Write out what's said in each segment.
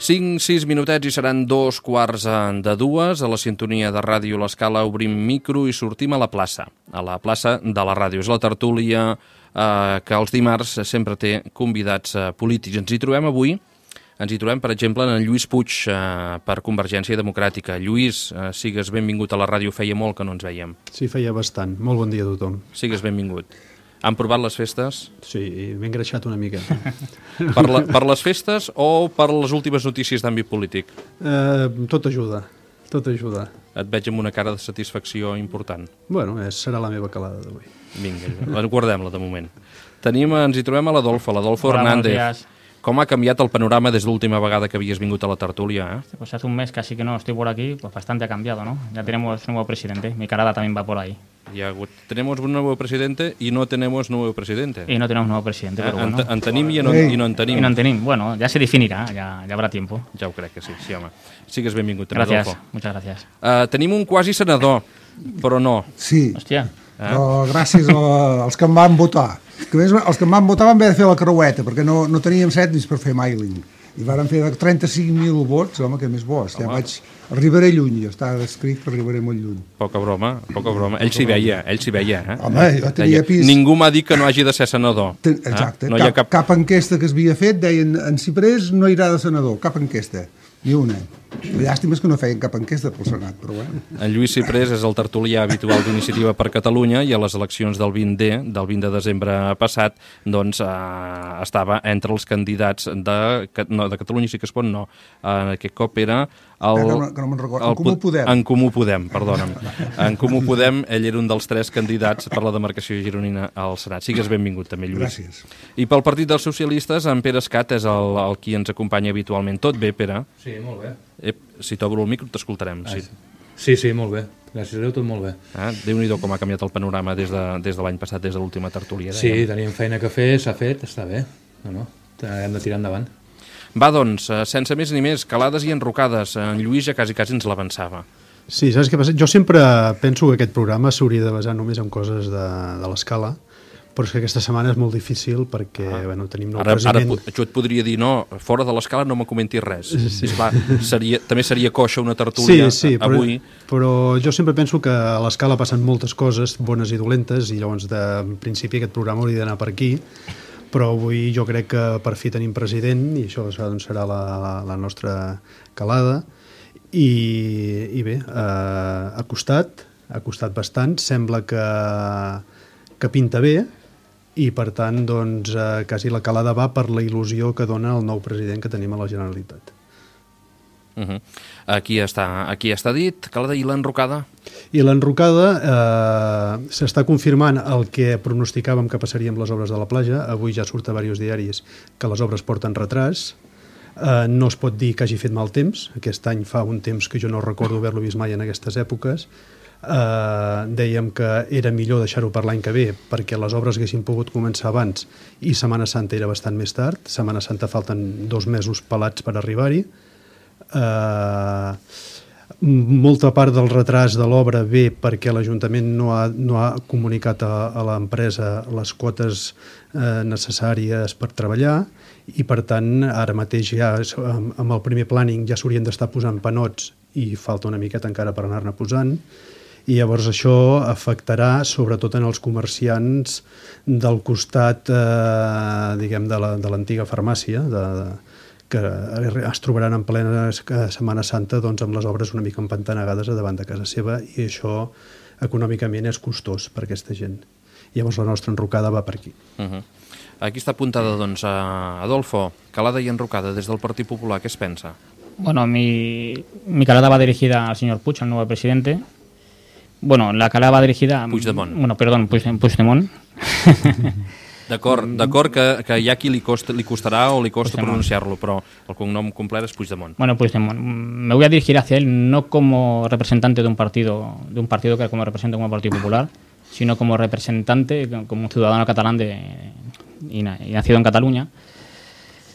Cinc, 6 minutets i seran 2:15 a la sintonia de Ràdio L'Escala. Obrim micro i sortim a la plaça de la ràdio. És la tertúlia que els dimarts sempre té convidats polítics. Ens hi trobem, per exemple, en Lluís Puig per Convergència Democràtica. Lluís, sigues benvingut a la ràdio. Feia molt que no ens veiem. Sí, feia bastant. Molt bon dia a tothom. Sigues benvingut. Han provat les festes? Sí, m'he engreixat una mica. Per les festes o per les últimes notícies d'àmbit polític? Tot ajuda. Et veig amb una cara de satisfacció important. Bueno, serà la meva calada d'avui. Vinga, guardem-la de moment. Ens hi trobem a l'Adolfo Hernández. ¿Cómo ha cambiado el panorama desde la última vegada que habías venido a la tertulia? Pues hace un mes casi que no estoy por aquí, pues bastante ha cambiado, ¿no? Ya tenemos nuevo presidente, mi carada también va por ahí. Ya tenemos un nuevo presidente y no tenemos nuevo presidente. Y no tenemos nuevo presidente, pero bueno. En tenim i no en tenim. I no en tenim, bueno, ya se definirá, ya habrá tiempo. Ja ho crec que sí, home. Sigues benvingut, Gràcies, Adolfo. muchas gracias. Tenim un quasi senador, però no. Sí, Hòstia. però gràcies als que em van votar. Que més, els que em van votar van haver de fer la creueta, perquè no teníem setnis per fer mailing. I varen fer 35.000 vots, home, que més bo. Arribaré lluny, ja està escrit que arribaré molt lluny. Poca broma. Ell s'hi veia, Home, jo tenia pis... Ningú m'ha dit que no hagi de ser senador. Exacte, No hi ha cap enquesta que s'havia fet, deien, en Ciprés no irà de senador, cap enquesta, ni una. Llàstima és que no feien cap enquesta pel Senat, però bueno. En Lluís Ciprés és el tertulià habitual d'Iniciativa per Catalunya i a les eleccions del 20 de desembre passat doncs estava entre els candidats de Catalunya sí que es pot, no. Aquest cop era En Comú Podem. En Comú Podem, perdona'm. En Comú Podem, ell era un dels 3 candidats per la demarcació gironina al Senat. Sigues benvingut també, Lluís. Gràcies. I pel Partit dels Socialistes, en Pere Escat és el qui ens acompanya habitualment. Tot bé, Pere? Sí, molt bé. Si t'obro el micro t'escoltarem. Sí, molt bé. Gràcies a Déu, tot molt bé. Déu-n'hi-do com ha canviat el panorama des de l'any passat, des de l'última tertúlia. Sí, teníem feina que fer, s'ha fet, està bé. No, hem de tirar endavant. Va, doncs, sense més ni més, calades i enrocades. En Lluís ja quasi ens l'avançava. Sí, saps què passa? Jo sempre penso que aquest programa s'hauria de basar només en coses de l'escala, però és que aquesta setmana és molt difícil perquè tenim nou president. Ara jo et podria dir, no, fora de l'escala no me comentis res. Sí. Esclar, també seria coixa una tertúlia avui. Però jo sempre penso que a l'escala passen moltes coses, bones i dolentes, i llavors, en principi, aquest programa hauria d'anar per aquí, però avui jo crec que per fi tenim president, i això doncs, serà la nostra calada, i bé, ha costat bastant, sembla que pinta bé, i per tant doncs, quasi la calada va per la il·lusió que dona el nou president que tenim a la Generalitat. Aquí està dit, calada. I l'enrocada? I l'enrocada s'està confirmant el que pronosticàvem que passaria amb les obres de la platja. Avui ja surt a diversos diaris que les obres porten retras. No es pot dir que hagi fet mal temps. Aquest any fa un temps que jo no recordo haver-lo vist mai en aquestes èpoques. Dèiem que era millor deixar-ho per l'any que ve perquè les obres haguessin pogut començar abans i Setmana Santa era bastant més tard. Setmana Santa falten 2 mesos pelats per arribar-hi. Molta part del retras de l'obra ve perquè l'Ajuntament no ha comunicat a l'empresa les quotes necessàries per treballar i per tant ara mateix ja amb el primer planning ja s'haurien d'estar posant panots i falta una miqueta encara per anar-ne posant. I llavors això afectarà sobretot en els comerciants del costat diguem de l'antiga farmàcia que es trobaran en plena Setmana Santa doncs, amb les obres una mica empantanegades a davant de casa seva i això econòmicament és costós per aquesta gent. Llavors la nostra enrocada va per aquí. Aquí està apuntada doncs Adolfo, calada i enrocada des del Partit Popular, què es pensa? Bueno, mi calada va dirigida al señor Puig, al nuevo presidente. Bueno, la calada va dirigida... Puigdemont. Bueno, perdón, Puigdemont. D'acord que hi ha qui li costarà o li costa pronunciar-lo, però el cognom complet es Puigdemont. Bueno, Puigdemont. Me voy a dirigir hacia él no como representante de un partido que como representa como Partido Popular, sino como representante, como un ciudadano catalán y nacido en Cataluña.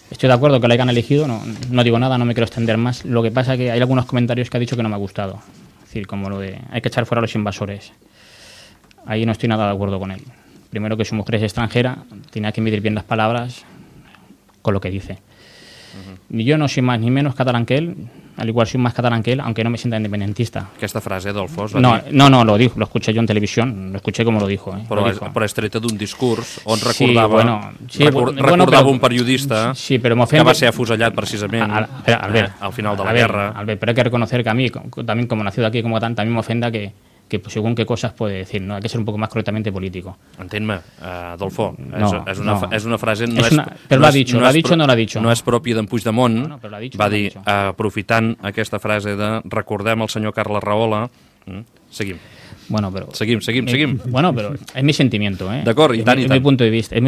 Estoy de acuerdo que lo hayan elegido, no digo nada, no me quiero extender más. Lo que pasa es que hay algunos comentarios que ha dicho que no me ha gustado. Es decir, como lo de hay que echar fuera a los invasores. Ahí no estoy nada de acuerdo con él. Primero, que su mujer es extranjera, tiene que medir bien las palabras con lo que dice. Ni yo no soy más ni menos catalán que él, al igual soy más catalán que él, aunque no me sienta independentista. Aquesta frase, Adolfo, no, lo dijo, lo escuché yo en televisión, lo escuché como lo dijo. Però és treta d'un discurs on recordava un periodista que va ser afusellat precisament al final de la guerra. Albert, pero hay que reconocer que a mí, también como nacido aquí, como catalán, también me ofenda que según qué cosas puede decir, ¿no? Hay que ser un poco más correctamente político. Entén-me, Adolfo, és una frase... Però l'ha dit, no l'ha dit. No és pròpia d'en Puigdemont, va dir, aprofitant aquesta frase de recordem el senyor Carles Rahola, seguim. Bueno, pero... Seguim. Bueno, pero es mi sentimiento, ¿eh? D'acord, i tant. Es mi punto de vista, es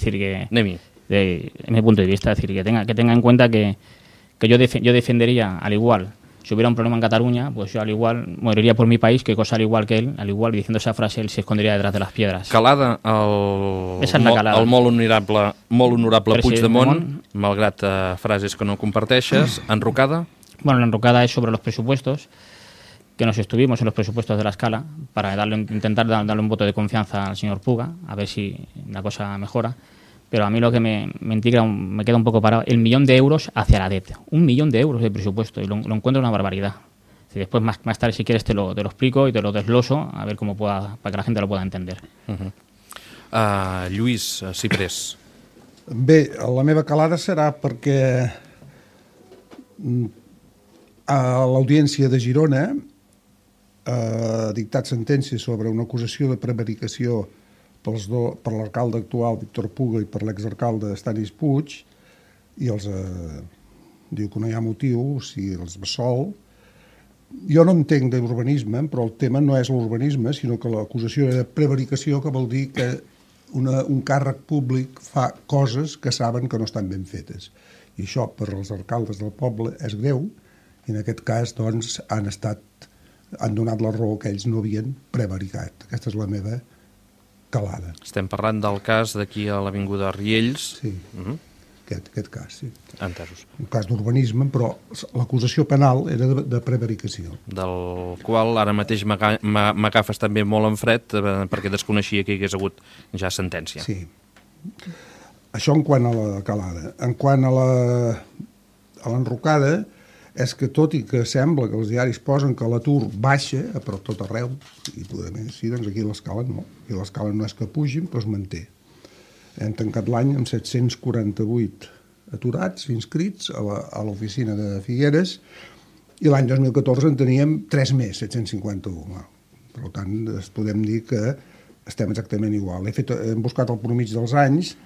decir que... Es mi punto de vista, es decir, que tenga en cuenta que yo defendería, al igual... Si hubiera un problema en Cataluña, pues yo al igual moriría por mi país, que cosa al igual que él, al igual diciendo esa frase, él se escondería detrás de las piedras. Calada, el molt honorable Puigdemont, malgrat frases que no comparteixes, enrocada? Bueno, la enrocada es sobre los presupuestos, que nos estuvimos en los presupuestos de la Escala, para intentar darle un voto de confianza al señor Puga, a ver si la cosa mejora. Pero a mí lo que me intriga, me queda un poco parado, el 1.000.000 de euros hacia la DET. 1.000.000 de euros de presupuesto, y lo encuentro una barbaridad. Y después, más tarde, si quieres, te lo explico y te lo desgloso, a ver cómo para que la gente lo pueda entender. Lluís Ciprés. Bé, la meva calada serà perquè a l'Audiència de Girona ha dictat sentència sobre una acusació de prevaricació per l'alcalde actual, Víctor Puga, i per l'exalcalde Stanis Puig, i els diu que no hi ha motiu, o sigui, els absol. Jo no entenc d'urbanisme, però el tema no és l'urbanisme, sinó que l'acusació era de prevaricació, que vol dir que un càrrec públic fa coses que saben que no estan ben fetes. I això, per als alcaldes del poble, és greu, i en aquest cas, doncs, han donat la raó que ells no havien prevaricat. Aquesta és la meva calada. Estem parlant del cas d'aquí a l'Avinguda Riells. Sí, aquest cas, sí. Entesos. Un cas d'urbanisme, però l'acusació penal era de prevaricació. Del qual ara mateix m'agafes també molt en fred, perquè desconeixia que hi hagués hagut ja sentència. Sí. Això en quant a la calada. En quant a l'enrocada, és que tot i que sembla que els diaris posen que l'atur baixa a tot arreu, i sí, doncs aquí a l'Escala no. I a l'Escala no és que pugin, però es manté. Hem tancat l'any amb 748 aturats inscrits a l'oficina de Figueres, i l'any 2014 en teníem 3 més, 751. Per tant, podem dir que estem exactament igual. Hem buscat el promig dels anys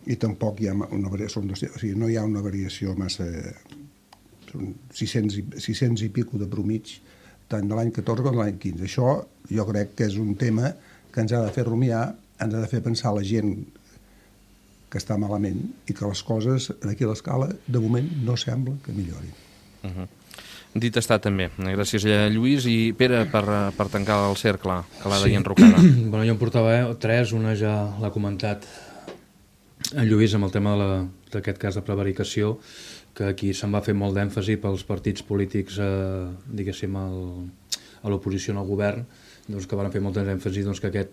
i tampoc hi ha una variació, o sigui, no hi ha una variació massa... Són 600 i pico de promig, tant de l'any 14 com de l'any 15. Això jo crec que és un tema que ens ha de fer rumiar, ens ha de fer pensar la gent que està malament i que les coses aquí a l'Escala, de moment, no sembla que millorin. Dit està també. Gràcies a Lluís. I Pere, per tancar el cercle, calada i enrocada. Bueno, jo em portava 3, una ja l'ha comentat en Lluís amb el tema d'aquest cas de prevaricació, que aquí se'n va fer molt d'èmfasi pels partits polítics, diguéssim, a l'oposició al govern, doncs, que van fer molt d'èmfasi doncs, que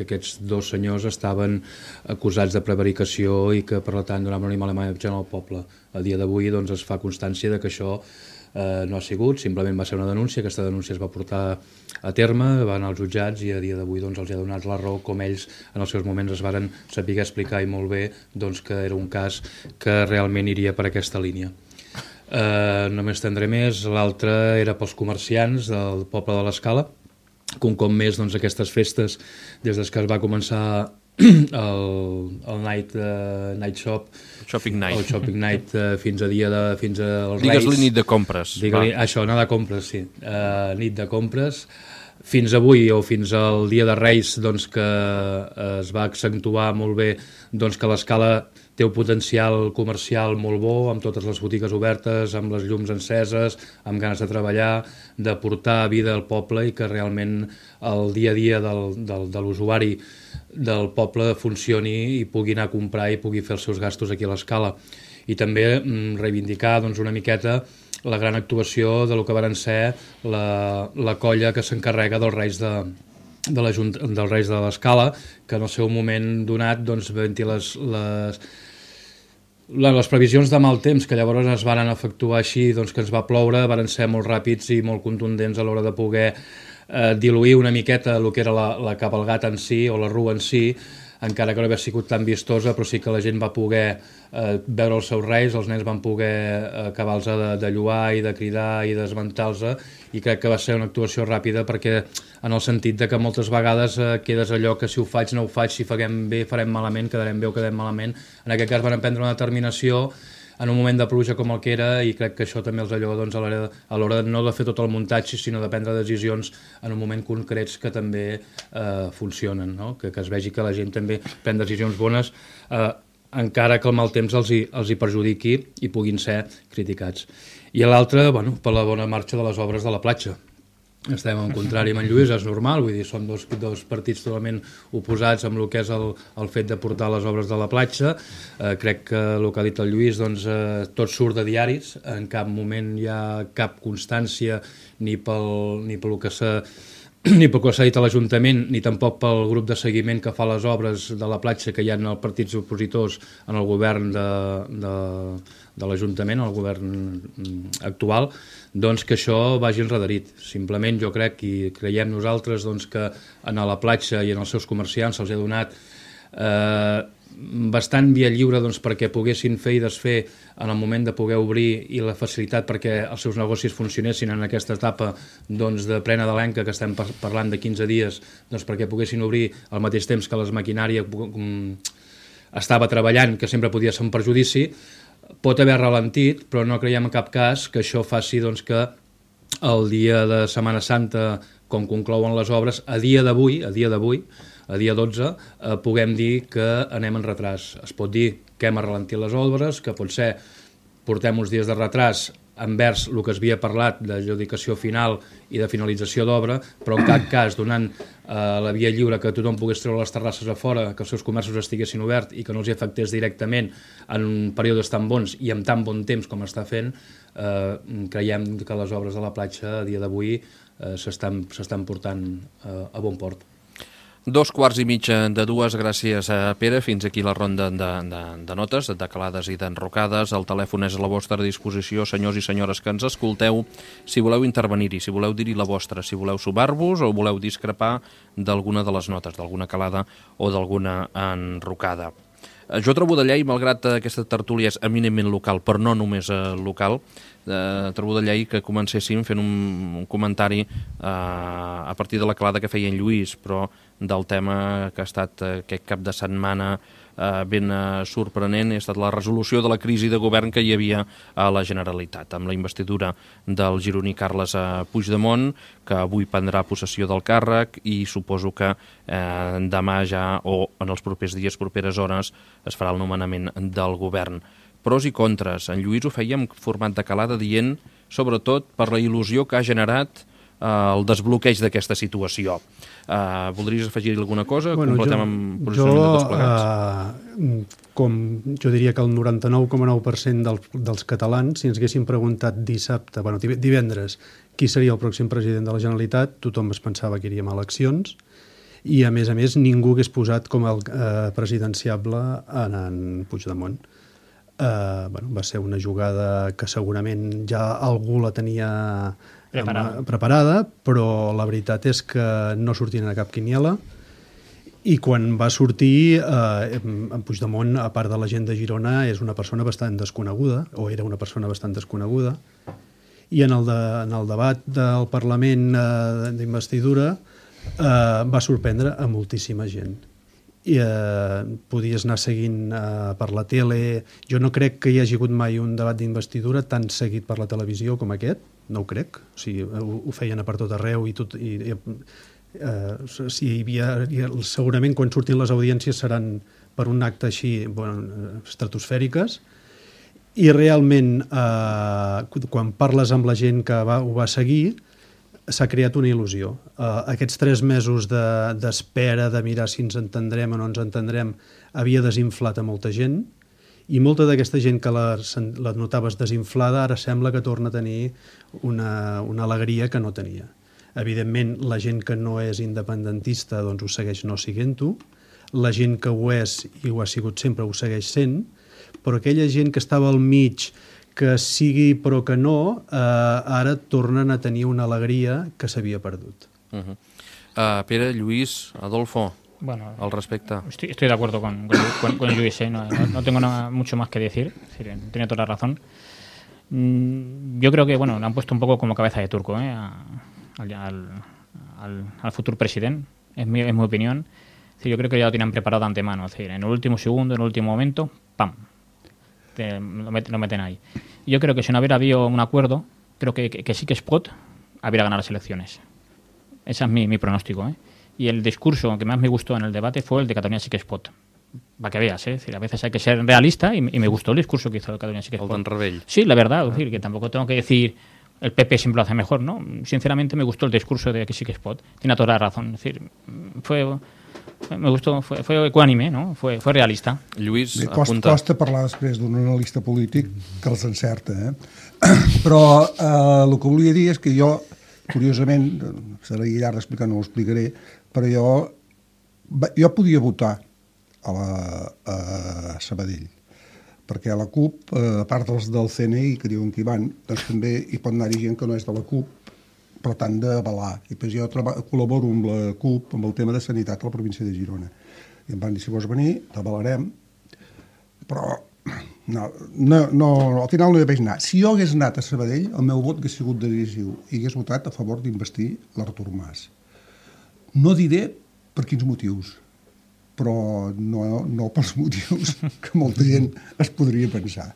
aquests dos senyors estaven acusats de prevaricació i que, per tant, donaven una mala imatge al poble. A dia d'avui doncs, es fa constància de que això no ha sigut, simplement va ser una denúncia, aquesta denúncia es va portar a terme, van als jutjats i a dia d'avui doncs, els ha donat la raó, com ells en els seus moments es varen saber explicar i molt bé doncs, que era un cas que realment iria per aquesta línia. No m'estendré més. L'altre era pels comerciants del poble de l'Escala, que un cop més doncs, aquestes festes, des que es va començar el night shop, Shopping Night. El Shopping Night fins als Reis. Digues-li nit de compres. Això, anar de compres, sí. Nit de compres. fins avui o fins al dia de Reis doncs, que es va accentuar molt bé doncs, que l'Escala té un potencial comercial molt bo, amb totes les botigues obertes, amb les llums enceses, amb ganes de treballar, de portar vida al poble i que realment el dia a dia de l'usuari del poble funcioni i pugui anar a comprar i pugui fer els seus gastos aquí a l'Escala. I també reivindicar doncs, una miqueta la gran actuació de lo que varen ser la colla que s'encarrega dels Reis dels Reis de l'Escala, que en el seu moment donat doncs, les previsions de mal temps que llavors es van efectuar així, doncs, que ens va ploure, varen ser molt ràpids i molt contundents a l'hora de poder diluir una miqueta el que era la cabalgata en si o la rua en si, encara que no havia sigut tan vistosa, però sí que la gent va poder veure els seus reis, els nens van poder acabar-los de lluar i de cridar i d'esmentar-los, i crec que va ser una actuació ràpida perquè en el sentit de que moltes vegades quedes allò que si ho faig no ho faig, si farem bé farem malament, quedarem bé o quedarem malament. En aquest cas van prendre una determinació en un moment de pluja com el que era, i crec que això també els allò doncs, a l'hora no de fer tot el muntatge, sinó de prendre decisions en un moment concrets que també funcionen, no? Que es vegi que la gent també pren decisions bones, encara que el mal temps els hi perjudiqui i puguin ser criticats. I l'altre, bueno, per la bona marxa de les obres de la platja. Estem en contrari amb en Lluís, és normal, vull dir, són dos partits totalment oposats amb el que és el fet de portar les obres de la platja. Crec que el que ha dit el Lluís, doncs, tot surt de diaris, en cap moment hi ha cap constància ni pel que s'ha dit a l'Ajuntament, ni tampoc pel grup de seguiment que fa les obres de la platja que hi ha els partits opositors en el govern de l'Ajuntament, el govern actual, doncs que això vagi enrederit. Simplement jo crec i creiem nosaltres doncs, que a la platja i en els seus comerciants se'ls ha donat bastant via lliure doncs, perquè poguessin fer i desfer en el moment de poder obrir, i la facilitat perquè els seus negocis funcionessin en aquesta etapa doncs, de plena d'Alenca, que estem parlant de 15 dies, doncs, perquè poguessin obrir al mateix temps que les maquinària estava treballant, que sempre podia ser un perjudici. Pot haver ralentit, però no creiem en cap cas que això faci doncs, que el dia de Setmana Santa, com conclouen les obres, a dia d'avui, a dia 12, puguem dir que anem en retras. Es pot dir que hem ralentit les obres, que potser portem uns dies de retras envers el que es havia parlat d'adjudicació final i de finalització d'obra, però en cap cas donant la via lliure que tothom pogués treure les terrasses a fora, que els seus comerços estiguessin oberts i que no els afectés directament en períodes tan bons i amb tan bon temps com està fent. Creiem que les obres de la platja a dia d'avui s'estan portant a bon port. 2:15, gràcies a Pere. Fins aquí la ronda de notes, de calades i d'enrocades. El telèfon és a la vostra disposició, senyors i senyores que ens escolteu, si voleu intervenir-hi, si voleu dir-hi la vostra, si voleu sumar-vos o voleu discrepar d'alguna de les notes, d'alguna calada o d'alguna enrocada. Jo trobo de llei, malgrat aquesta tertúlia és eminentment local, però no només local, trobo de llei que comencéssim fent un comentari a partir de la calada que feia en Lluís, però del tema que ha estat aquest cap de setmana ben sorprenent, ha estat la resolució de la crisi de govern que hi havia a la Generalitat, amb la investidura del gironí Carles Puigdemont, que avui prendrà possessió del càrrec, i suposo que demà ja o en els propers dies, properes hores, es farà el nomenament del govern. Pros i contres. En Lluís ho feia en format de calada dient, sobretot, per la il·lusió que ha generat el desbloqueig d'aquesta situació. Voldries afegir alguna cosa? Completem amb posicionament de tots plegats. Com jo diria que el 99,9% dels catalans, si ens haguessin preguntat divendres, qui seria el pròxim president de la Generalitat, tothom es pensava que iríem a eleccions, i a més ningú hagués posat com el presidenciable en Puigdemont. Va ser una jugada que segurament ja algú la tenia preparada, però la veritat és que no sortien a cap quiniela, i quan va sortir en Puigdemont, a part de la gent de Girona, és una persona bastant desconeguda, o era una persona bastant desconeguda, i en el debat del Parlament d'investidura va sorprendre a moltíssima gent. I podies anar seguint per la tele. Jo no crec que hi hagi hagut mai un debat d'investidura tan seguit per la televisió com aquest, no ho crec. O sigui, ho feien a per tot arreu i tot... sí, segurament quan surtin les audiències seran per un acte així estratosfèriques, i realment quan parles amb la gent que ho va seguir s'ha creat una il·lusió. Aquests 3 mesos d'espera, de mirar si ens entendrem o no ens entendrem, havia desinflat a molta gent, i molta d'aquesta gent que la notaves desinflada ara sembla que torna a tenir una alegria que no tenia. Evidentment, la gent que no és independentista doncs ho segueix no siguent-ho, la gent que ho és i ho ha sigut sempre ho segueix sent, però aquella gent que estava al mig, que sigui però que no, ara tornen a tenir una alegria que s'havia perdut. Pere, Lluís, Adolfo, bueno, al respecte. Estoy de acuerdo con Luis, no tengo mucho más que decir, tiene toda la razón. Yo creo que le han puesto un poco como cabeza de turco al futuro presidente, es mi opinión. Yo creo que ya lo tienen preparado de antemano, es decir, en el último segundo, en el último momento, ¡pam!, lo meten ahí. Yo creo que si no hubiera habido un acuerdo, creo que sí que Espot hubiera ganado las elecciones. Ese es mi pronóstico. Y el discurso que más me gustó en el debate fue el de Catalunya sí que Espot. Para que veas, es decir, a veces hay que ser realista y me gustó el discurso que hizo el Catalunya sí que Espot. El Rebell. Sí, la verdad, es decir, que tampoco tengo que decir el PP siempre lo hace mejor, ¿no? Sinceramente me gustó el discurso de que sí que Espot. Tiene toda la razón, es decir, me gustó, fue ecuánime, no? Fue realista. Lluís, apunta. Costa parlar després d'un analista polític que els encerta, Però el que volia dir és que jo, curiosament, serà llarg d'explicar, no ho explicaré, però jo podia votar a Sabadell, perquè a la CUP, a part dels del CNI que diuen que hi van, doncs també hi pot anar-hi gent que no és de la CUP, però tant d'avalar. I després jo col·laboro amb la CUP amb el tema de sanitat a la província de Girona. I em van dir, si vols venir, t'avalarem, però al final no hi vaig anar. Si jo hagués anat a Sabadell, el meu vot hagués sigut decisiu i hagués votat a favor d'investir l'Artur Mas. No diré per quins motius, però no pels motius que molta gent es podria pensar.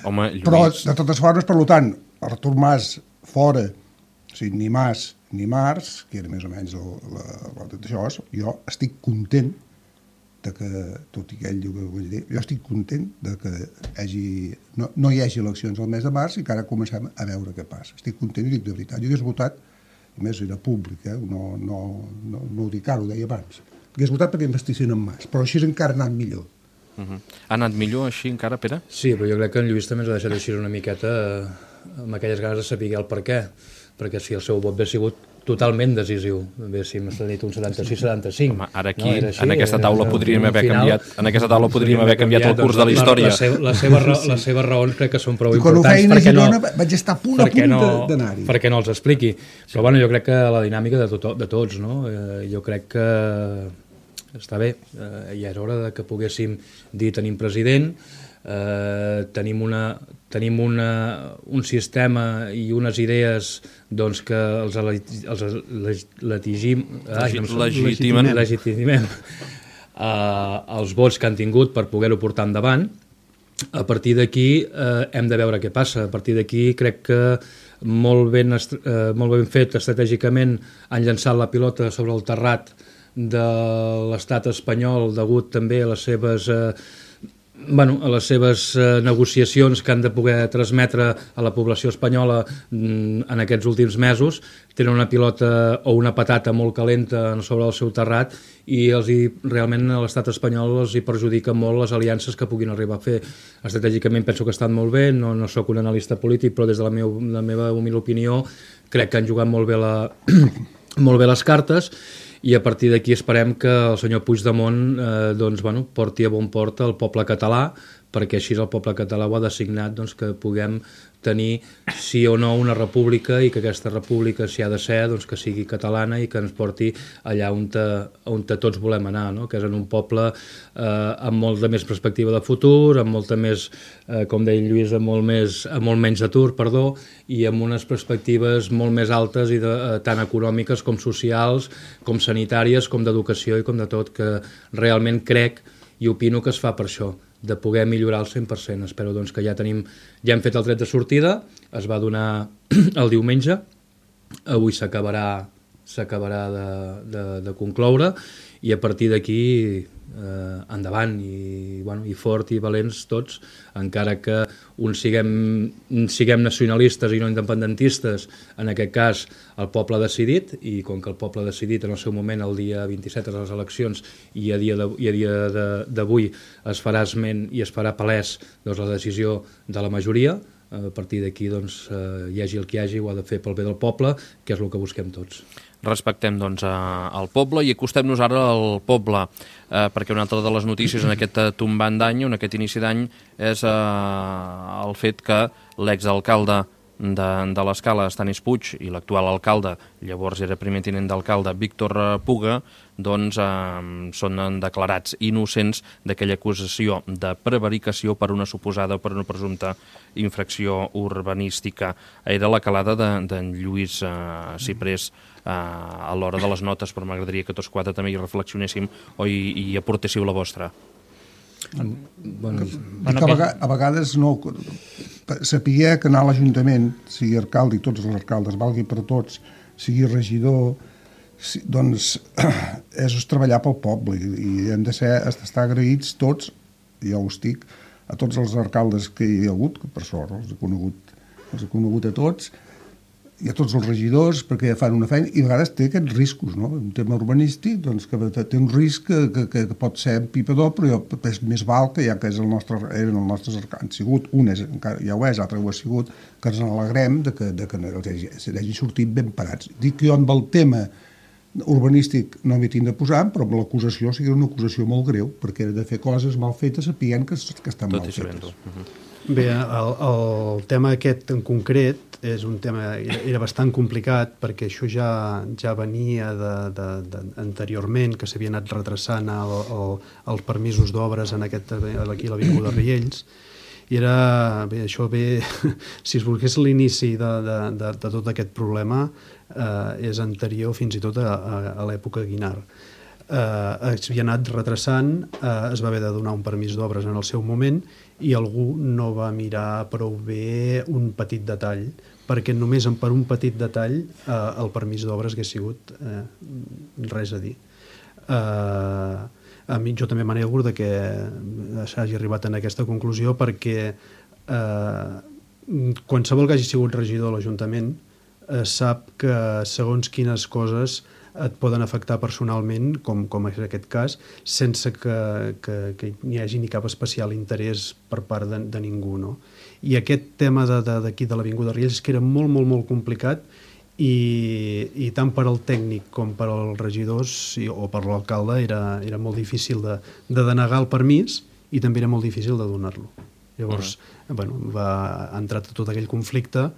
Home, Lluís... Però, de totes formes, per tant, Artur Mas fora, o sigui, ni Mas ni Mars, que era més o menys d'això, jo estic content de que, tot i que ell diu que ho vull dir, jo estic content de que no hi hagi eleccions al mes de març i que ara comencem a veure què passa. Estic content i dic de veritat. Jo hagués votat, a més era públic, no ho dic ara, ho deia abans, hagués votat perquè investissin en Mas, però així encara ha anat millor. Ha anat millor així encara, Pere? Sí, però jo crec que en Lluís també ens ha deixat així una miqueta amb aquelles ganes de saber el per què, perquè si el seu vot hauria sigut totalment decisiu, haguéssim dit un 76-75. Home, ara aquí, en aquesta taula podríem haver canviat el curs de la història. Les seves raons crec que són prou importants. Quan ho feien a Girona vaig estar a punt d'anar-hi. Perquè no els expliqui. Però bueno, jo crec que la dinàmica de tots, no? Jo crec que està bé, ja era hora que poguéssim dir tenim president, tenim un sistema i unes idees doncs, que els legitimem els vots que han tingut per poder-ho portar endavant. A partir d'aquí hem de veure què passa. A partir d'aquí crec que molt ben fet estratègicament han llançat la pilota sobre el terrat de l'estat espanyol degut també a les seves negociacions que han de poder transmetre a la població espanyola en aquests últims mesos. Tenen una pilota o una patata molt calenta sobre el seu terrat i realment a l'estat espanyol els hi perjudica molt les aliances que puguin arribar a fer. Estratègicament penso que estan molt bé, no sóc un analista polític, però des de la meva humil opinió crec que han jugat molt bé les cartes. I a partir d'aquí esperem que el senyor Puigdemont porti a bon port el poble català, perquè així el poble català ho ha designat que puguem tenir sí o no una república i que aquesta república, si ha de ser, que sigui catalana i que ens porti allà on tots volem anar, no? Que és en un poble amb molta més perspectiva de futur, amb molta més, com deia Lluís, amb molt menys atur, i amb unes perspectives molt més altes i tant econòmiques com socials, com sanitàries, com d'educació i com de tot, que realment crec i opino que es fa per això. de poder millorar al 100%. Espero doncs, que ja hem fet el tret de sortida, es va donar el diumenge, avui s'acabarà de concloure i a partir d'aquí endavant i fort i valents tots, encara que uns siguem nacionalistes i no independentistes, en aquest cas el poble ha decidit, i com que el poble ha decidit en el seu moment el dia 27 de les eleccions i a dia d'avui es farà esment i es farà palès doncs, la decisió de la majoria, a partir d'aquí doncs, hi hagi el que hi hagi, ho ha de fer pel bé del poble, que és el que busquem tots. Respectem doncs al poble i acostem-nos ara al poble, perquè una altra de les notícies en aquest tombant d'any, en aquest inici d'any, és el fet que l'exalcalde de l'Escala, Estanis Puig, i l'actual alcalde, llavors era primer tinent d'alcalde, Víctor Puga, doncs són declarats innocents d'aquella acusació de prevaricació per una suposada o per una presumpta infracció urbanística. Era la calada d'en Lluís Ciprés a l'hora de les notes, però m'agradaria que tots quatre també hi reflexionéssim o hi aportéssiu la vostra. A vegades no saber que anar a l'Ajuntament, sigui alcalde i tots els alcaldes, valgui per tots, sigui regidor, doncs és treballar pel poble i hem d'estar agraïts tots, ja ho estic, a tots els alcaldes que hi ha hagut, que per sort els he conegut a tots, i a tots els regidors, perquè fan una feina, i a vegades té aquests riscos, no? Un tema urbanístic, doncs, que té un risc que pot ser empipador, però és més val que ja que eren els nostres han sigut, un ja ho és, l'altre ho ha sigut, que ens n'alegrem que hagi sortit ben parats. Dic que jo amb el tema urbanístic no m'hi tinc de posar, però amb l'acusació sigui una acusació molt greu, perquè era de fer coses mal fetes sapient que estan mal fetes. Bé, el tema aquest en concret és un tema, era bastant complicat perquè això ja venia anteriorment, que s'havia anat retrasant els permisos d'obres aquí a l'Avinguda Riells, i això si es volgués l'inici de tot aquest problema és anterior fins i tot a l'època Guinard. S'havia anat retrasant, es va haver de donar un permís d'obres en el seu moment i algú no va mirar prou bé un petit detall, perquè només per un petit detall el permís d'obres hagués sigut res a dir. Jo també m'alegro que s'hagi arribat a aquesta conclusió, perquè qualsevol que hagi sigut regidor a l'Ajuntament sap que segons quines coses et poden afectar personalment, com és aquest cas, sense que hi hagi ni cap especial interès per part de ningú, no? I aquest tema d'aquí de l'Avinguda Riells és que era molt, molt, molt complicat i tant per al tècnic com per als regidors o per l'alcalde era molt difícil de denegar el permís i també era molt difícil de donar-lo. Llavors, va entrar tot aquell conflicte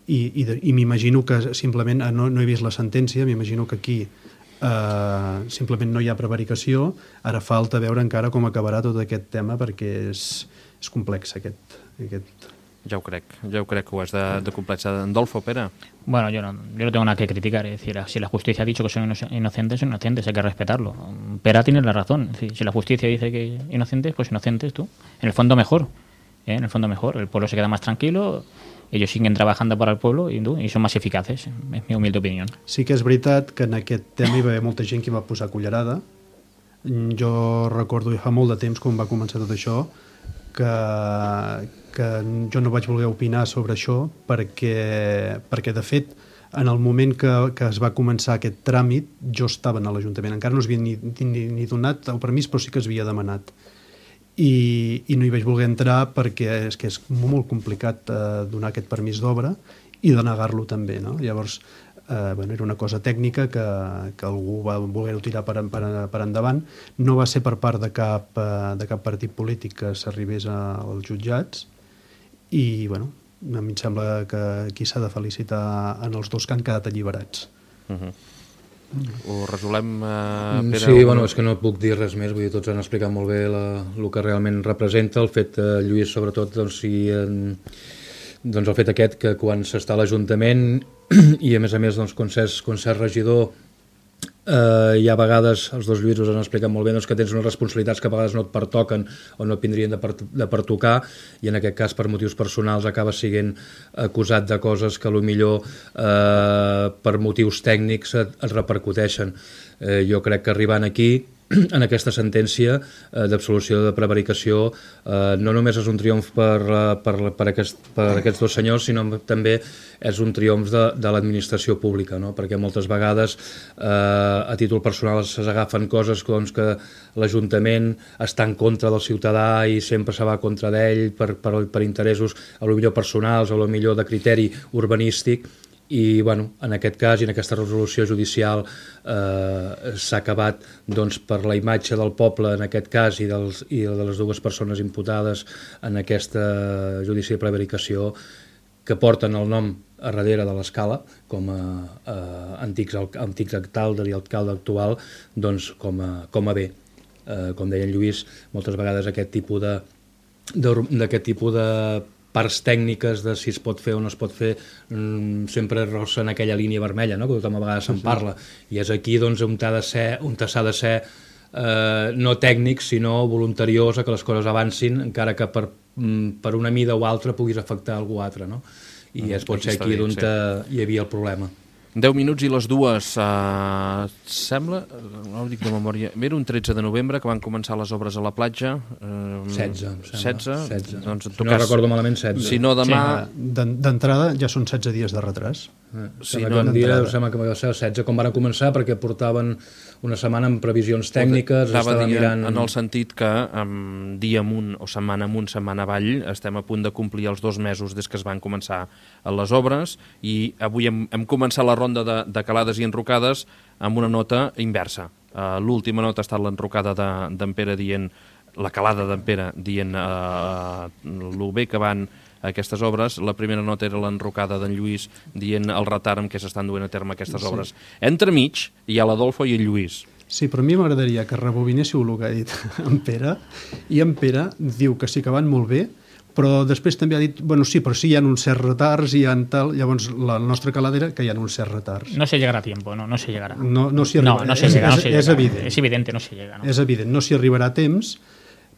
i m'imagino que simplement, no he vist la sentència, m'imagino que aquí simplement no hi ha prevaricació, ara falta veure encara com acabarà tot aquest tema perquè és complex aquest. Ja ho crec que ho has de complexar. Adolfo, Pere. Bueno, yo no tengo nada que criticar, es decir, si la justicia ha dicho que son inocentes, hay que respetarlo. Pera tiene la razón, es decir, si la justicia dice que inocentes, pues inocentes tú. En el fondo mejor, el pueblo se queda más tranquilo, ellos siguen trabajando para el pueblo y son más eficaces, és mi humilde opinió. Sí que és veritat que en aquest tema hi va haver molta gent que va posar cullerada. Jo recordo fa molt de temps, quan va començar tot això, que jo no vaig voler opinar sobre això perquè de fet, en el moment que es va començar aquest tràmit, jo estava a l'Ajuntament. Encara no s'havia ni donat el permís, però sí que s'havia demanat. I no hi vaig voler entrar perquè és que és molt complicat donar aquest permís d'obra i denegar-lo també, no? Llavors, era una cosa tècnica que algú va voler-ho tirar per endavant. No va ser per part de cap partit polític que s'arribés als jutjats i, a mi em sembla que aquí s'ha de felicitar en els dos que han quedat alliberats. Ho resolem, Pere? Sí, és que no puc dir res més, vull dir, tots han explicat molt bé el que realment representa, el fet, Lluís, sobretot, el fet aquest que quan s'està a l'Ajuntament i a més quan s'és regidor hi ha a vegades, els dos Lluïsos han explicat molt bé, doncs, que tens unes responsabilitats que a vegades no et pertoquen o no et vindrien de pertocar, i en aquest cas per motius personals acabes sent acusat de coses que potser per motius tècnics et repercuteixen. Jo crec que arribant aquí, en aquesta sentència d'absolució de prevaricació, no només és un triomf per aquests dos senyors, sinó també és un triomf de l'administració pública, no? Perquè moltes vegades a títol personal s'agafen coses doncs, que l'Ajuntament està en contra del ciutadà i sempre se va contra d'ell per interessos a lo millor personals o a lo millor de criteri urbanístic. I bueno, en aquest cas i en aquesta resolució judicial s'ha acabat doncs, per la imatge del poble en aquest cas i de les dues persones imputades en aquesta judici de prevaricació, que porten el nom a darrere de l'Escala com a antics alcalde i alcalde actual, doncs com a bé. Com deia en Lluís, moltes vegades aquest tipus de parts tècniques de si es pot fer o no es pot fer sempre rossa en aquella línia vermella, no? Que tothom a vegades se'n parla, i és aquí doncs, on s'ha de ser no tècnic sinó voluntariós a que les coses avancin, encara que per una mida o altra puguis afectar algú altre, no? I pot ser aquí on hi havia el problema. 10 minuts i les dues. Sembla, no ho dic de memòria, era un 13 de novembre que van començar les obres a la platja. 16. Doncs, si no recordo malament, 16. Si no, demà... D'entrada ja són 16 dies de retras. Sembla que va ser el 16 quan van començar, perquè portaven una setmana amb previsions tècniques. Estava dient en el sentit que dia amunt o setmana amunt, setmana avall, estem a punt de complir els 2 mesos des que es van començar les obres, i avui hem començat la ronda de calades i enrocades amb una nota inversa. L'última nota ha estat l'enrocada d'en Pere dient, la calada d'en Pere dient lo bé que van aquestes obres. La primera nota era l'enrocada d'en Lluís dient el retard amb què s'estan duent a terme aquestes obres. Entremig hi ha l'Adolfo i el Lluís. Sí, però a mi m'agradaria que rebobinéssiu el que ha dit en Pere, i en Pere diu que sí que van molt bé, però després també ha dit, bueno, sí, però sí hi ha uns certs retards i hi ha tal, llavors la nostra calada era que hi ha uns certs retards. No se llegarà a tiempo, no se llegarà. No s'hi arriba. No se llega. És evident. És evident, no se llega. És evident, no s'hi arribarà a temps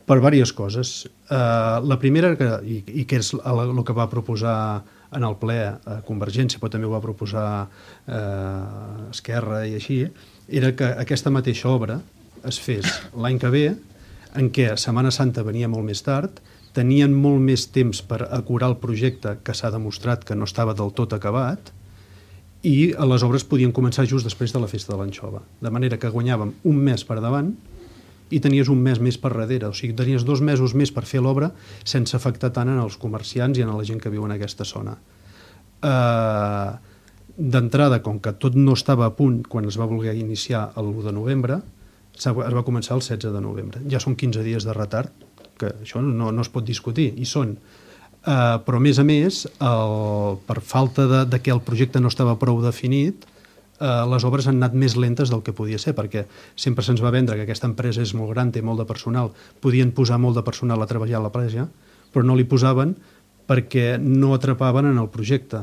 per diverses coses. La primera, i que és el que va proposar en el ple Convergència, però també ho va proposar Esquerra i així, era que aquesta mateixa obra es fes l'any que ve, en què Setmana Santa venia molt més tard, tenien molt més temps per acurar el projecte, que s'ha demostrat que no estava del tot acabat, i les obres podien començar just després de la festa de l'anxova. De manera que guanyàvem un mes per davant i tenies un mes més per darrere. O sigui, tenies 2 mesos més per fer l'obra sense afectar tant en els comerciants i en la gent que viu en aquesta zona. D'entrada, com que tot no estava a punt quan es va voler iniciar l'1 de novembre, es va començar el 16 de novembre. Ja són 15 dies de retard, que això no es pot discutir, i són. Però, a més, per falta de que el projecte no estava prou definit, les obres han anat més lentes del que podia ser, perquè sempre se'ns va vendre que aquesta empresa és molt gran, té molt de personal, podien posar molt de personal a treballar a la platja, però no li posaven perquè no atrapaven en el projecte.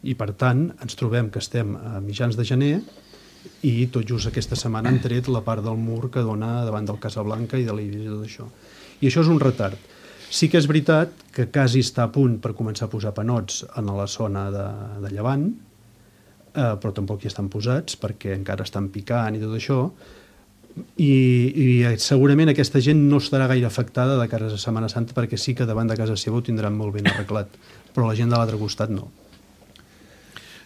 I, per tant, ens trobem que estem a mitjans de gener i tot just aquesta setmana han tret la part del mur que dona davant del Casablanca i de l'Eivissa i tot això. I això és un retard. Sí que és veritat que quasi està a punt per començar a posar panots en la zona de Llevant, però tampoc hi estan posats perquè encara estan picant i tot això, i segurament aquesta gent no estarà gaire afectada de cara a Setmana Santa, perquè sí que davant de casa seva ho tindran molt ben arreglat, però la gent de l'altre costat no.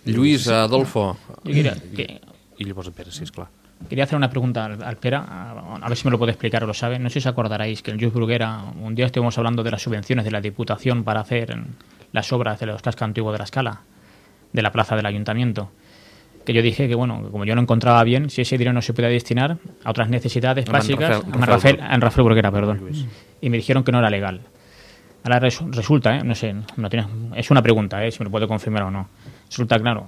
Lluís, Adolfo. Y llavors en Pere, sí, esclar. Quería hacer una pregunta al Pere, a ver si me lo puede explicar o lo sabe. No sé si os acordaréis que en Lluís Bruguera un día estuvimos hablando de las subvenciones de la Diputación para hacer las obras de los cascos antiguos de la Escala, de la plaza del Ayuntamiento. Que yo dije que, bueno, como yo no encontraba bien, si ese dinero no se podía destinar a otras necesidades básicas, en Rafael Bruguera, perdón. Y me dijeron que no era legal. Ahora resulta, no sé, es una pregunta, si me lo puede confirmar o no. Resulta, claro,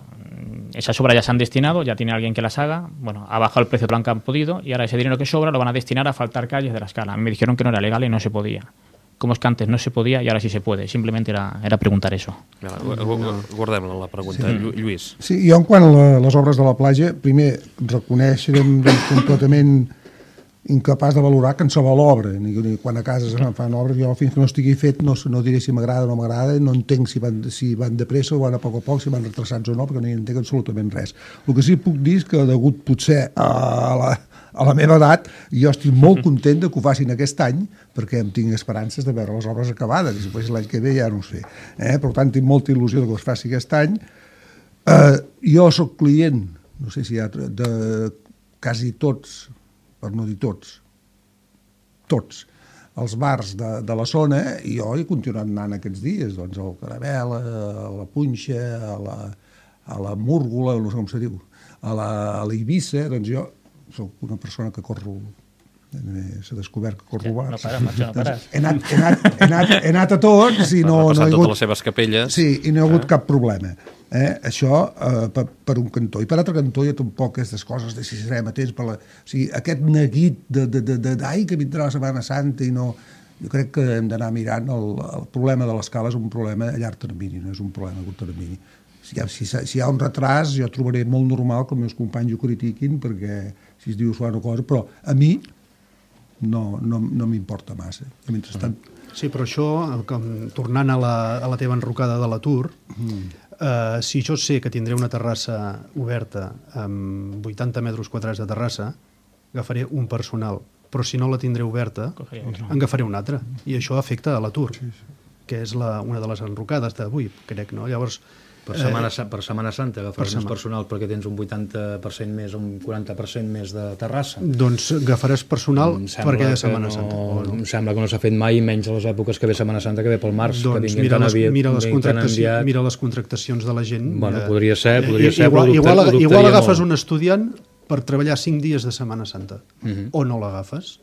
esas obras ya se han destinado, ya tiene alguien que las haga, bueno, ha bajado el precio de lo que han podido y ahora ese dinero que sobra lo van a destinar a faltar calles de la Escala. A mí me dijeron que no era legal y no se podía. como es que antes no se podía y ahora sí se puede. Simplemente era preguntar eso. Guardem la pregunta. Lluís. Sí, jo en quant a les obres de la platja, primer reconèixer completament incapaç de valorar que en se va l'obra, ni quan a casa es fan obres, jo fins que no estigui fet no diré si m'agrada o no m'agrada, no entenc si van de pressa o van a poc a poc, si van retrasats o no, perquè no hi entenc absolutament res. El que sí puc dir és que degut potser a la meva edat, jo estic molt content que ho facin aquest any, perquè em tinc esperances de veure les obres acabades, i després l'any que ve ja no ho sé. Per tant, tinc molta il·lusió que es faci aquest any. Jo sóc client, no sé si hi ha, de quasi tots, per no dir tots, els bars de la zona, i jo he continuat anant aquests dies, doncs al Caramel, a la Punxa, a la Múrgola, no sé com se diu, a la Eivissa, doncs jo soc una persona que corro, s'ha descobert que corro bars. No pares, macho, no pares. He anat a tots i no ha he passat hagut... totes les seves capelles. Sí, i no hi ha hagut cap problema. Això per un cantó. I per altre cantó hi ha tampoc aquestes coses de si serem atents per la... O sigui, aquest neguit d'ai, que vindrà la Setmana Santa i no... Jo crec que hem d'anar mirant el problema de l'escala és un problema a llarg termini, no és un problema a curt termini. Si hi ha un retras, jo trobaré molt normal que els meus companys ho critiquin, perquè si es diu una cosa, però a mi no m'importa massa. Mentrestant... Sí, però això, tornant a la teva enrocada de l'atur, si jo sé que tindré una terrassa oberta amb 80 metres quadrats de terrassa, agafaré un personal, però si no la tindré oberta, en agafaré un altre, i això afecta a l'atur, que és una de les enrocades d'avui, crec, no? Llavors, per Setmana Santa agafaràs més personal perquè tens un 80% més, un 40% més de terrassa. Doncs agafaràs personal perquè de Setmana Santa. Em sembla que no s'ha fet mai, menys a les èpoques que ve Setmana Santa, que ve pel març. Doncs mira les contractacions de la gent. Bueno, podria ser, igual agafes un estudiant per treballar 5 dies de Setmana Santa, o no l'agafes.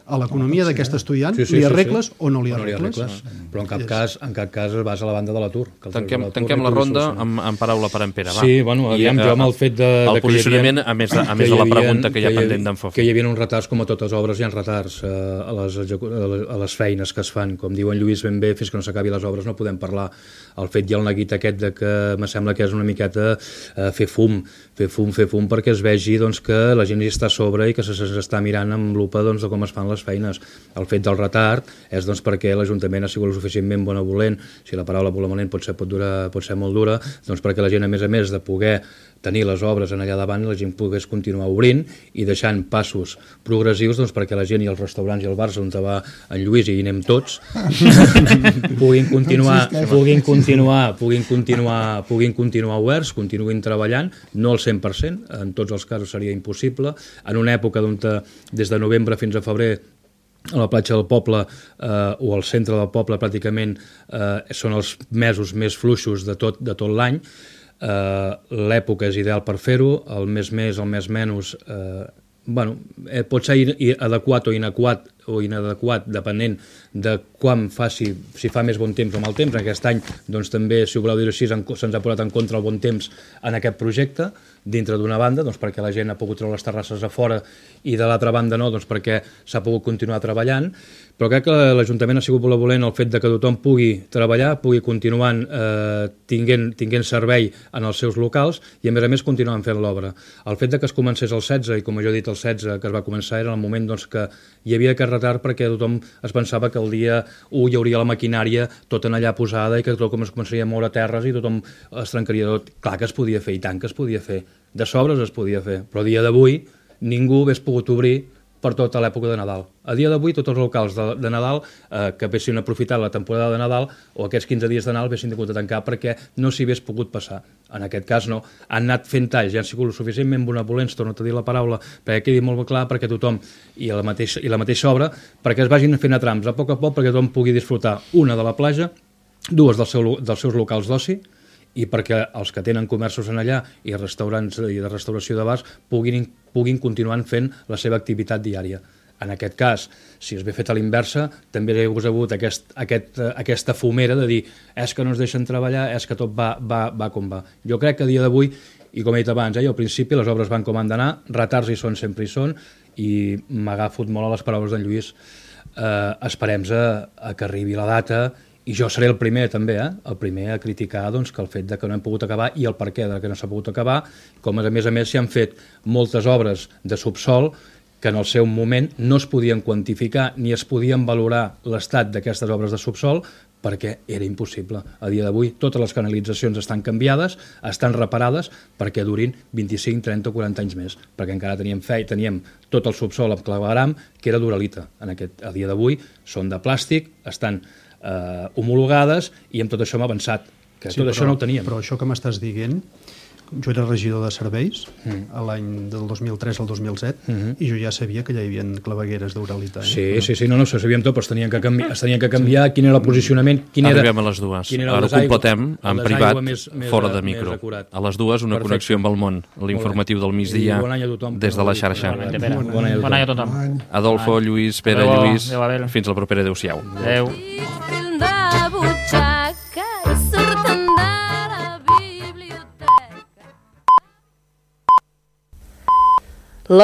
A l'economia d'aquest estudiant li arregles o no li arregles? Però en cap cas es basa a la banda de l'atur. Tanquem la ronda amb paraula per en Pere. Sí, bueno, aviam, jo amb el fet de... El posicionament, a més de la pregunta que hi ha pendent d'en Fofi. Que hi havia uns retards, com a totes obres, hi ha retards a les feines que es fan. Com diu en Lluís ben bé, fins que no s'acabi les obres no podem parlar. El fet i el neguit aquest de que me sembla que és una miqueta fer fum perquè es vegi que la gent hi està a sobre i que s'està mirant amb lupa de com es fan les feines. El fet del retard és perquè l'Ajuntament ha sigut lo suficientment benevolent, si la paraula benevolent pot ser molt dura, perquè la gent, a més de poder tenir les obres en allà davant, la gent pogués continuar obrint i deixant passos progressius perquè la gent i els restaurants i els bars on va en Lluís i hi anem tots puguin continuar oberts, continuïn treballant, no al 100%, en tots els casos seria impossible, en una època on des de novembre fins a febrer a la platja del poble o al centre del poble pràcticament són els mesos més fluixos de tot l'any. L'època és ideal per fer-ho, el mes més, el mes menys, pot ser adequat o inadequat depenent de quan faci, si fa més bon temps o mal temps. Aquest any també, si ho voleu dir així, se'ns ha posat en contra el bon temps en aquest projecte, dintre d'una banda, perquè la gent ha pogut treure les terrasses a fora i de l'altra banda no, perquè s'ha pogut continuar treballant, però crec que l'Ajuntament ha sigut benevolent el fet de que tothom pugui treballar, pugui continuar tinguent servei en els seus locals i a més continuant fent l'obra. El fet de que es comencés el 16, i com jo he dit el 16 que es va començar, era el moment que hi havia aquest retard perquè tothom es pensava que el dia 1 hi hauria la maquinària tota en allà posada i que tothom es començaria a moure terres i tothom es trencaria tot. Clar que es podia fer, i tant que es podia fer. De sobres es podia fer, però a dia d'avui ningú hagués pogut obrir per tota l'època de Nadal. A dia d'avui tots els locals de Nadal que haguessin aprofitat la temporada de Nadal o aquests 15 dies de Nadal haguessin hagut de tancar perquè no s'hi hagués pogut passar. En aquest cas no. Han anat fent talls, ja han sigut suficientment benevolents, torno a dir la paraula, perquè quedi molt clar perquè tothom i la mateixa obra, perquè es vagin fent a trams a poc, perquè tothom pugui disfrutar una de la platja, dues dels seus locals d'oci, i perquè els que tenen comerços en allà i restaurants i de restauració de bars puguin continuar fent la seva activitat diària. En aquest cas, si es ve fet a l'inversa, també hi ha hagut aquesta fumera de dir és que no ens deixen treballar, és que tot va com va. Jo crec que a dia d'avui, i com he dit abans, al principi les obres van com han d'anar, retards hi són, sempre hi són, i m'ha agafat molt a les paraules d'en Lluís. esperem a que arribi la data, i jo seré el primer també, el primer a criticar doncs, que el fet de que no hem pogut acabar i el perquè de que no s'ha pogut acabar, com a més s'hi han fet moltes obres de subsol que en el seu moment no es podien quantificar ni es podien valorar l'estat d'aquestes obres de subsol perquè era impossible. A dia d'avui totes les canalitzacions estan canviades, estan reparades perquè durin 25, 30 o 40 anys més, perquè encara teníem tot el subsol amb clavegram que era d'uralita. A dia d'avui són de plàstic, estan homologades i amb tot això hem avançat, que sí, tot això no ho teníem. Però això que m'estàs dient, jo era regidor de serveis a l'any del 2003 al 2007 i jo ja sabia que ja hi havia clavegueres d'uralita. Sí, no, ho sabíem tot, però es tenien que canviar quin era el posicionament. Arribem a les dues. Ara ho completem en privat, fora de micro. A les dues, una connexió amb el món, l'informatiu del migdia, des de la xarxa. Bon any a tothom. Adolfo, Lluís, Pere, Lluís, fins la propera. Adéu-siau. Adéu.